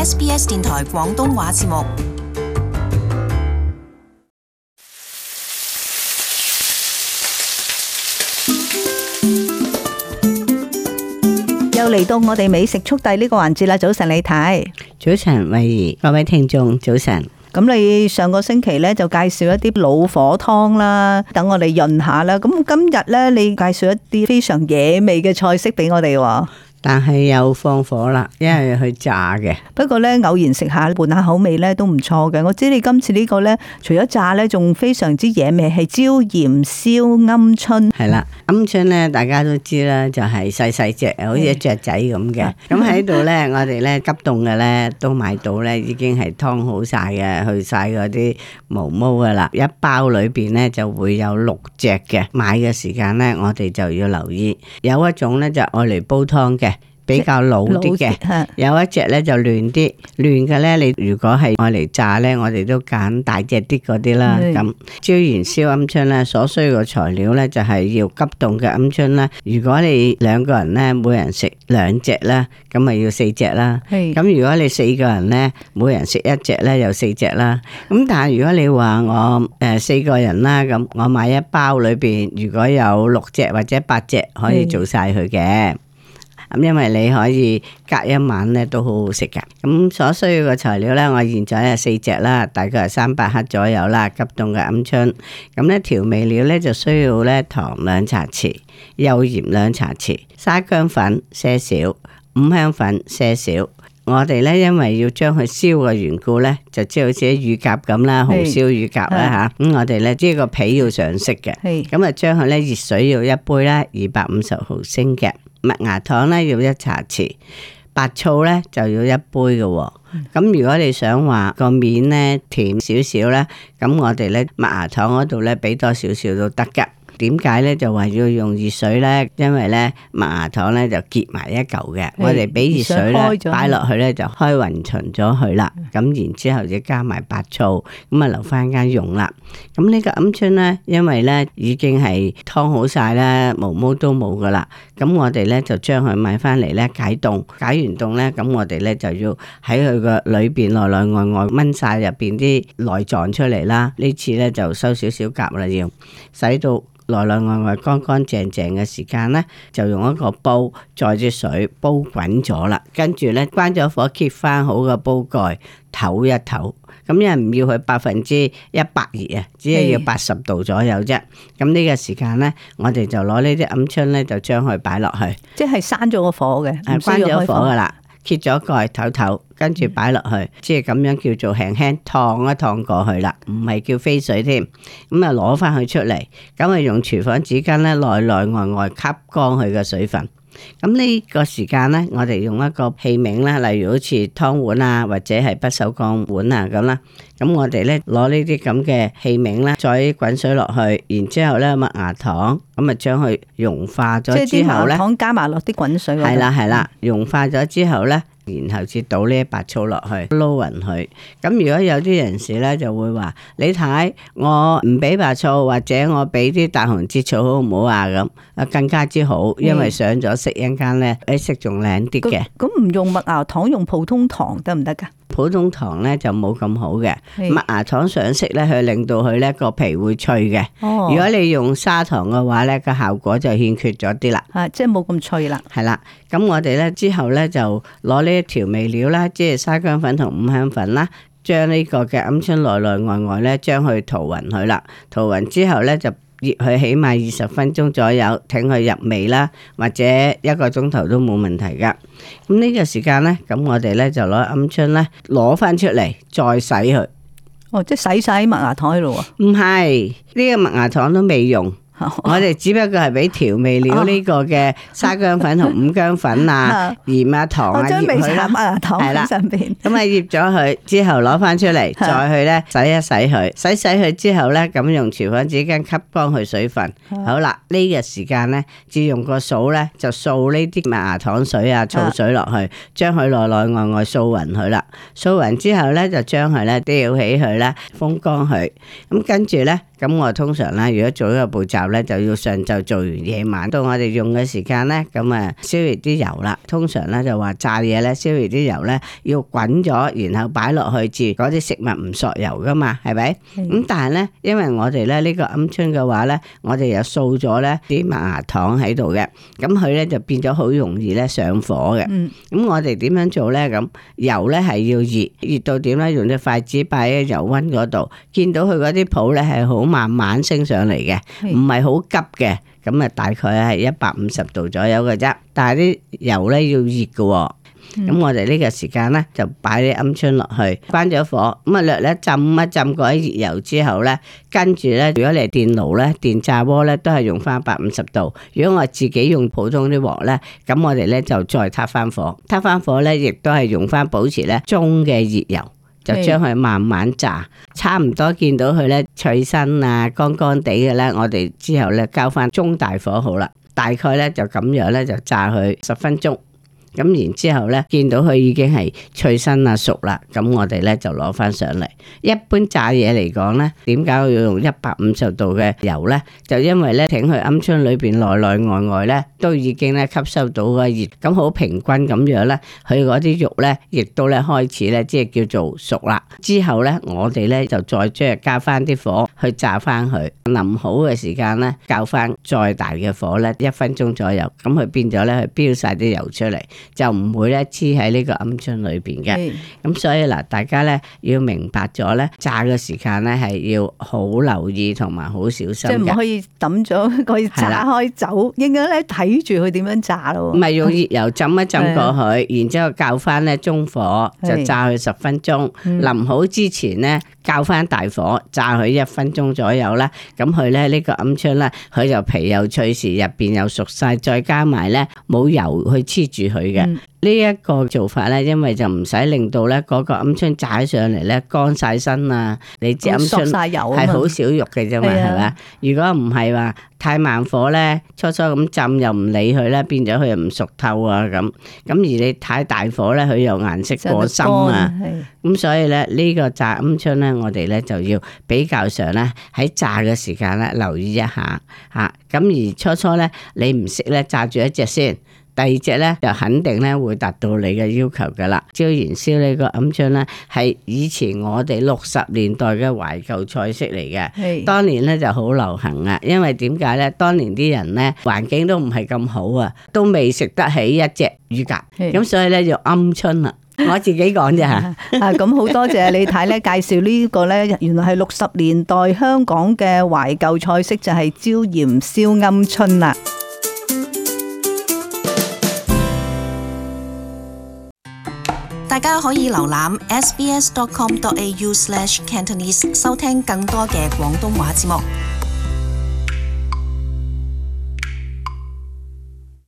SBS 電台廣東話節目。又嚟到我哋美食速遞呢個環節啦！早晨李太，早晨慧怡，各位聽眾早晨。咁你上個星期咧就介紹一啲老火湯啦，等我哋潤下啦。咁今日咧你介紹一啲非常野味嘅菜式俾我哋喎。但係又放火啦，因為去炸嘅。不過咧偶然食下換下口味咧都唔錯嘅。我知你今次呢個咧除咗炸咧，仲非常之野味，係椒鹽燒鵪鶉。係啦，鵪鶉咧大家都知啦，就係細細隻，好似雀仔咁嘅。咁喺度咧，我哋咧急凍嘅咧都買到咧，已經係劏好晒嘅，去晒嗰啲毛毛噶啦。一包裏邊咧就會有6隻嘅。買嘅時間咧，我哋就要留意，有一種咧就愛嚟煲湯嘅。比較老啲嘅，有一隻咧就嫩啲，嫩嘅咧你如果係愛嚟炸咧，我哋都揀大隻啲嗰啲啦。咁椒鹽燒鵪鶉咧，所需嘅材料咧就係要急凍嘅鵪鶉啦。如果你2個人咧，每人食2隻啦，咁咪要4隻啦。咁如果你4個人咧，每人食1隻咧，又4隻啦。咁但係如果你話我4個人啦，咁我買一包裏邊如果有6隻或者8隻，可以做晒佢嘅。咁因為你可以隔一晚咧都好好食噶。咁所需要嘅材料咧，我現在係4隻啦，大概係300克左右啦，急凍嘅鵪鶉。咁咧調味料咧就需要咧糖2茶匙，幼鹽2茶匙，沙薑粉些少，五香粉些少。我哋咧因為要將佢燒嘅緣故咧，就即係好似啲乳鴿咁啦，紅燒乳鴿啦吓。咁我哋咧即係個皮要上色嘅。咁啊將佢咧熱水要1杯啦，250毫升嘅。麥芽糖咧要1茶匙，白醋咧就要1杯嘅。咁如果你想話個面咧甜少少咧，咁我哋咧麥芽糖嗰度咧俾多少少都得噶。點解咧就話要用熱水咧？因為咧麥芽糖咧就結埋一嚿嘅，我哋俾熱水咧擺落去咧就開勻勻咗佢啦。咁然之後就加埋白醋，咁啊留翻間用啦。咁呢個鵪鶉咧，因為咧已經係湯好晒啦，毛毛都冇噶啦。咁我哋咧就將佢買翻嚟咧解凍，解完凍咧，咁我哋咧就要喺佢個裏邊內內外外燜晒入邊啲內臟出嚟啦。呢次咧就收少少甲啦，要洗到內內外外乾乾淨淨嘅時間咧，就用一個煲載啲水煲滾咗啦，跟住咧關咗火，揭翻好個煲蓋，唞一唞。咁因為唔要佢100%熱啊，只係要80度左右啫。咁呢個時間咧，我哋就攞呢啲鵪鶉咧，就將佢擺落去，即係閂咗個火嘅，關咗火噶啦，揭咗蓋唞唞，跟住擺落去，即係咁樣叫做輕輕燙一燙過去啦，唔係叫飛水添。咁啊攞翻佢出嚟，咁啊用廚房紙巾咧內內外外吸乾佢嘅水分。咁呢個時間咧，我哋用一個器皿啦，例如好似湯碗啊，或者係不鏽鋼碗啊咁啦。咁我哋咧攞呢啲咁嘅器皿啦，再滾水落去，然之後咧麥芽糖，咁啊將佢融化咗之後咧，即係啲麥芽糖加埋落啲滾水。係啦係啦，融化咗之後咧，然後至倒呢白醋落去撈勻佢。咁如果有啲人士咧就會話：你睇我唔俾白醋，或者我俾啲大紅浙醋好唔好啊？咁啊更加之好，因為上咗色一間咧，色仲靚啲嘅。咁唔用麥芽糖，用普通糖得唔得噶？普通糖咧就冇咁好嘅，麥芽糖上色咧，佢令到佢咧個皮會脆嘅。如果你用砂糖嘅話咧，個效果就欠缺咗啲啦。即係冇咁脆啦。係啦，咁我哋咧之後咧就攞呢啲調味料啦，即係沙薑粉同五香粉啦，將呢個嘅鵪鶉內內外外咧將佢塗勻佢啦，塗勻之後咧就醃佢起碼20分鐘左右，等佢入味啦，或者1個鐘頭都冇問題噶。咁呢個時間咧，咁我哋咧就攞鵪鶉咧攞翻出嚟再洗佢。哦，即係洗晒麥芽糖喺度啊？唔係，呢個麥芽糖都未用。我哋只不過係俾調味料呢個嘅沙薑粉同五薑粉啊、鹽啊、糖啊醃佢啦，係啦，上邊咁啊醃咗佢之後攞翻出嚟，再去咧洗一洗佢，洗佢之後咧咁用廚房紙巾吸乾佢水分。好啦，呢個時間咧，只用個掃咧就掃呢啲麥芽糖水啊、醋水落去，將佢內內外外掃勻佢啦。掃勻之後咧就將佢咧吊起佢咧風乾佢。咁跟住咧，咁我通常咧如果做呢個步驟咧就要上晝做完，夜晚到我哋用嘅時間咧，咁啊燒熱啲油啦。通常咧就話炸嘢咧，燒熱啲油咧要滾咗，然後擺落去至嗰啲食物唔索油噶嘛，係咪？咁但係咧，因為我哋咧呢個鵪鶉嘅話咧，我哋又掃咗咧啲麥芽糖喺度嘅，咁佢咧就變咗好容易咧上火嘅。咁我哋點樣做咧？咁油咧係要熱到點咧？用隻筷子擺喺油溫嗰度，見到佢嗰啲泡咧係好慢慢升上嚟嘅，唔係好急嘅。咁啊，大概係150度左右嘅啫。但係啲油咧要熱嘅。咁我哋呢個時間咧就擺啲鵪鶉落去，關咗火，咁啊略咧浸一浸過啲熱油之後咧，跟住咧如果你係電爐咧、電炸鍋咧，都係用翻150度。如果我自己用普通啲鑊咧，咁我哋咧就再撻翻火，撻翻火咧亦都係用翻保持咧中嘅熱油，就將佢慢慢炸，差唔多見到佢咧脆身啊、乾乾地嘅咧，我哋之後咧交翻中大火好啦，大概咧就咁樣咧就炸佢10分鐘。咁然之後咧，見到佢已經係脆身啊熟啦，咁我哋咧就攞翻上嚟。一般炸嘢嚟講咧，點解要用150度嘅油咧？就因為咧，挺佢鵪鶉裏邊內內外外咧，都已經咧吸收到個熱，咁好平均咁樣咧，佢嗰啲肉咧，亦都咧開始咧，即係叫做熟啦。之後咧，我哋咧就再將佢加翻啲火去炸翻佢，淋好嘅時間咧，較翻再大嘅火咧，1分鐘左右，咁佢變咗咧，佢飆晒啲油出嚟。就唔會咧黐喺呢個鵪鶉裏邊嘅，咁所以嗱，大家咧要明白咗咧，炸嘅時間咧係要好留意同埋好小心嘅，即係唔可以抌咗，可以炸開走，應該咧睇住佢點樣炸咯。唔係用熱油浸一浸過去，然之後較翻咧中火就炸佢10分鐘，淋好之前咧較翻大火炸佢1分鐘左右啦。咁佢咧呢個鵪鶉咧，佢就皮又脆時，入邊又熟晒，再加埋咧冇油去黐住佢嘅。呢一個做法咧，因為就唔使令到咧嗰個鵪鶉炸上嚟咧乾晒身啊！你知鵪鶉係好少肉嘅啫嘛，係咪？如果唔係話太慢火咧，初初咁浸又唔理佢咧，變咗佢又唔熟透啊咁。咁而你太大火咧，佢又顏色過深啊。咁所以咧呢個炸鵪鶉咧，我哋咧就要比較上咧喺炸嘅時間咧留意一下嚇。咁而初初咧你唔識咧炸住一隻先。第二隻咧就肯定咧會達到你嘅要求噶啦。椒鹽燒呢個鵪鶉咧係以前我哋60年代嘅懷舊菜式嚟嘅，當年咧就好流行啊。因為點解咧？當年啲人咧環境都唔係咁好啊，都未食得起一隻乳鴿，咁所以咧就鵪鶉啦。我自己講啫吓。啊，咁好多謝李太咧介紹呢個咧，原來係60年代香港嘅懷舊菜式，就係椒鹽燒鵪鶉啦。大家可以瀏覽 sbs.com.au/cantonese 收聽更多嘅廣東話節目。